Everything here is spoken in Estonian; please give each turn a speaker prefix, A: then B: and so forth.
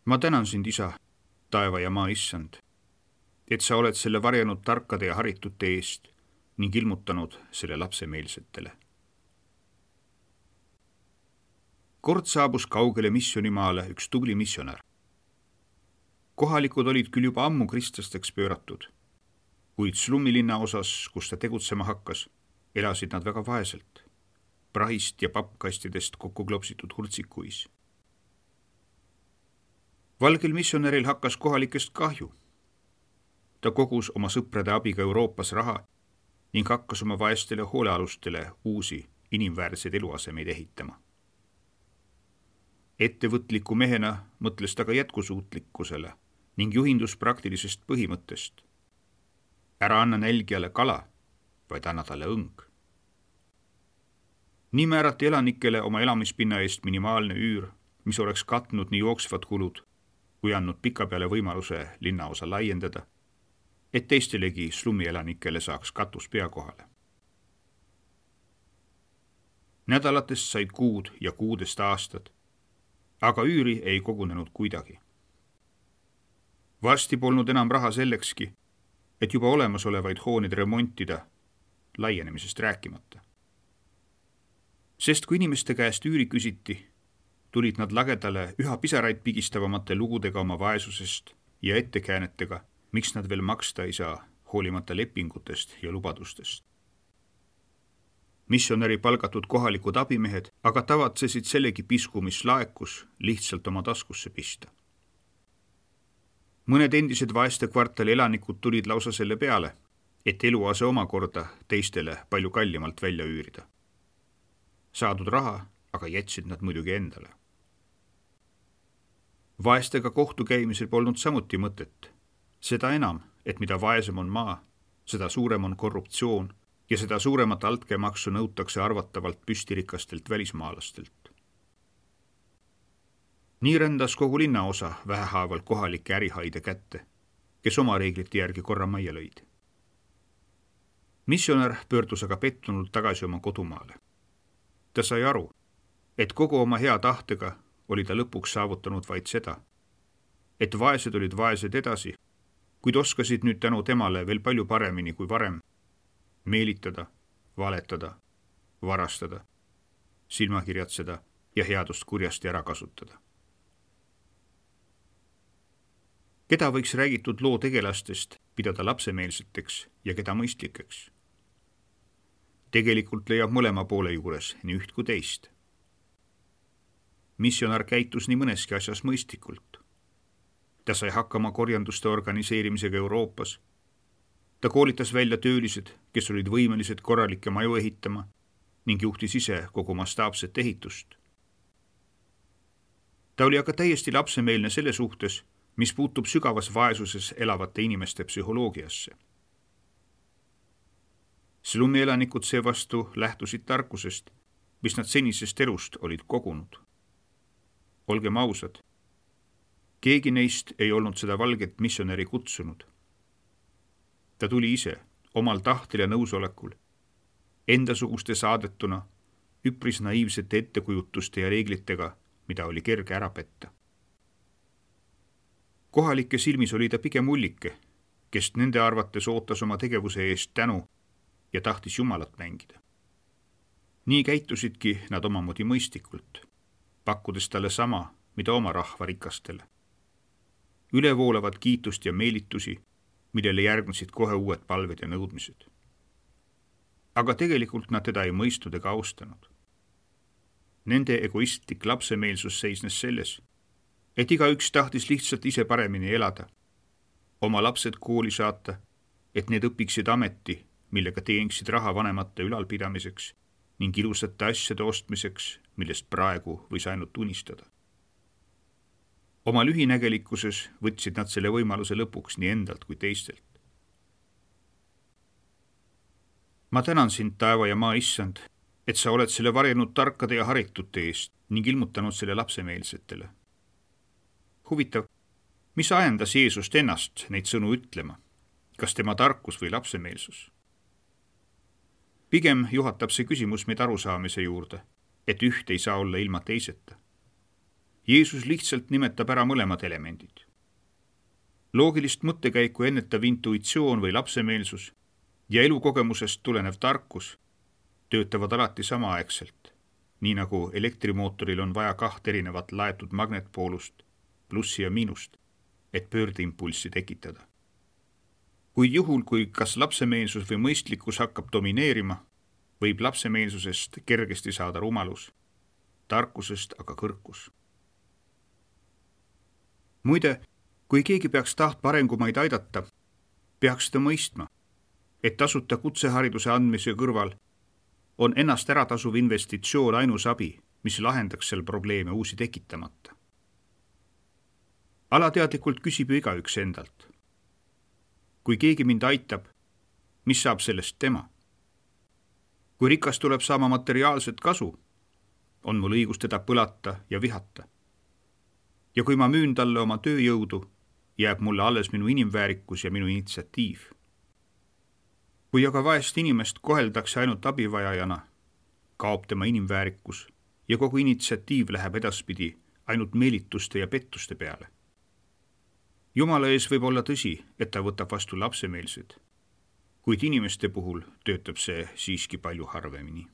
A: Ma tänan sind, Isa, taeva ja maa issand, et sa oled selle varjanud tarkade ja haritute eest ning ilmutanud selle lapsemeelsetele. Kord saabus kaugele missioonimaale üks tubli missionär. Kohalikud olid küll juba ammu kristlasteks pööratud, kuid slummilinna osas, kus ta tegutsema hakkas, elasid nad väga vaeselt, prahist ja pappkastidest kokku klopsitud hurtsikuis. Valgel missionäril hakkas kohalikest kahju. Ta kogus oma sõprade abiga Euroopas raha ning hakkas oma vaestele hoolealustele uusi inimväärseid eluasemeid ehitama. Ettevõtliku mehena mõtles ta ka jätkusuutlikkusele ning juhindus praktilisest põhimõttest. Ära anna nälgijale kala, vaid anna talle õng. Nii määrati elanikele oma elamispinna eest minimaalne üür, mis oleks katnud nii jooksvad kulud, kui andnud pikapeale võimaluse linnaosa laiendada, et teistelegi slummielanikele saaks katus pea kohale. Nädalatest said kuud ja kuudest aastad, aga üüri ei kogunenud kuidagi. Varsti polnud enam raha sellekski, et juba olemasolevaid hooneid remontida, laienemisest rääkimata. Sest kui inimeste käest üüri küsiti, tulid nad lagedale üha pisaraid pigistavamate lugudega oma vaesusest ja ettekäänetega, miks nad veel maksta ei saa, hoolimata lepingutest ja lubadustest. Missionäri palgatud kohalikud abimehed aga tavatsesid sellegi pisku, mis laekus, lihtsalt oma taskusse pista. Mõned endised vaeste kvartali elanikud tulid lausa selle peale, et eluase omakorda teistele palju kallimalt välja üürida. Saadud raha aga jätsid nad muidugi endale. Vaestega kohtu käimisel polnud samuti mõtet. Seda enam, et mida vaesem on maa, seda suurem on korruptsioon ja seda suuremat altkäemaksu nõutakse arvatavalt püstirikastelt välismaalastelt. Nii rändas kogu linnaosa vähehaaval kohalike ärihaide kätte, kes oma reeglite järgi korra majja lõid. Missionär pöördus aga pettunult tagasi oma kodumaale. Ta sai aru, et kogu oma hea tahtega oli ta lõpuks saavutanud vaid seda, et vaesed olid vaesed edasi, kuid oskasid nüüd tänu temale veel palju paremini kui varem meelitada, valetada, varastada, silmakirjatseda ja headust kurjasti ära kasutada. Keda võiks räägitud loo tegelastest pidada lapsemeelseteks ja keda mõistlikeks? Tegelikult leiab mõlema poole juures nii üht kui teist. Missionär käitus nii mõneski asjas mõistlikult. Ta sai hakkama korjanduste organiseerimisega Euroopas. Ta koolitas välja töölised, kes olid võimelised korralikke maju ehitama ning juhtis ise kogu mastaapset ehitust. Ta oli aga täiesti lapsemeelne selle suhtes, mis puutub sügavas vaesuses elavate inimeste psühholoogiasse. Slummielanikud seevastu lähtusid tarkusest, mis nad senisest elust olid kogunud. Olgem ausad, keegi neist ei olnud seda valget missionäri kutsunud. Ta tuli ise, omal tahtel ja nõusolekul, endasuguste saadetuna, üpris naiivsete ettekujutuste ja reeglitega, mida oli kerge ära petta. Kohalike silmis oli ta pigem ullike, kes nende arvates ootas oma tegevuse eest tänu ja tahtis Jumalat mängida. Nii käitusidki nad omamoodi mõistlikult, pakkudes talle sama, mida oma rahva rikastele. Ülevoolavat kiitust ja meelitusi, millele järgnesid kohe uued palved ja nõudmised. Aga tegelikult nad teda ei mõistnud ega austanud. Nende egoistlik lapsemeelsus seisnes selles, et igaüks tahtis lihtsalt ise paremini elada, oma lapsed kooli saata, et need õpiksid ameti, millega teeniksid raha vanemate ülalpidamiseks ning ilusate asjade ostmiseks, millest praegu võis ainult unistada. Oma lühinägelikkuses võtsid nad selle võimaluse lõpuks nii endalt kui teistelt. Ma tänan sind, taeva ja maa issand, et sa oled selle varjanud tarkade ja haritute eest ning ilmutanud selle lapsemeelsetele. Huvitav, mis ajendas Jeesust ennast neid sõnu ütlema? Kas tema tarkus või lapsemeelsus? Pigem juhatab see küsimus meid arusaamise juurde, et üht ei saa olla ilma teiseta. Jeesus lihtsalt nimetab ära mõlemad elemendid. Loogilist mõttekäiku ennetav intuitsioon või lapsemeelsus ja elukogemusest tulenev tarkus töötavad alati samaaegselt, nii nagu elektrimootoril on vaja 2 erinevat laetud magnetpoolust, plussi ja miinust, et pöördeimpulssi tekitada. Kuid juhul, kui kas lapsemeelsus või mõistlikkus hakkab domineerima, võib lapsemeelsusest kergesti saada rumalus, tarkusest aga kõrkus. Muide, kui keegi peaks tahtma arengumaid aidata, peaks ta mõistma, et tasuta kutsehariduse andmise kõrval on ennast äratasuv investitsioon ainus abi, mis lahendaks seal probleeme uusi tekitamata. Alateadlikult küsib ju igaüks endalt. Kui keegi mind aitab, mis saab sellest tema? Kui rikas tuleb saama materiaalset kasu, on mul õigus teda põlata ja vihata. Ja kui ma müün talle oma tööjõudu, jääb mulle alles minu inimväärikus ja minu initsiatiiv. Kui aga vaest inimest koheldakse ainult abivajajana, kaob tema inimväärikus ja kogu initsiatiiv läheb edaspidi ainult meelituste ja pettuste peale. Jumala ees võib olla tõsi, et ta võtab vastu lapsemeelsed, kuid inimeste puhul töötab see siiski palju harvemini.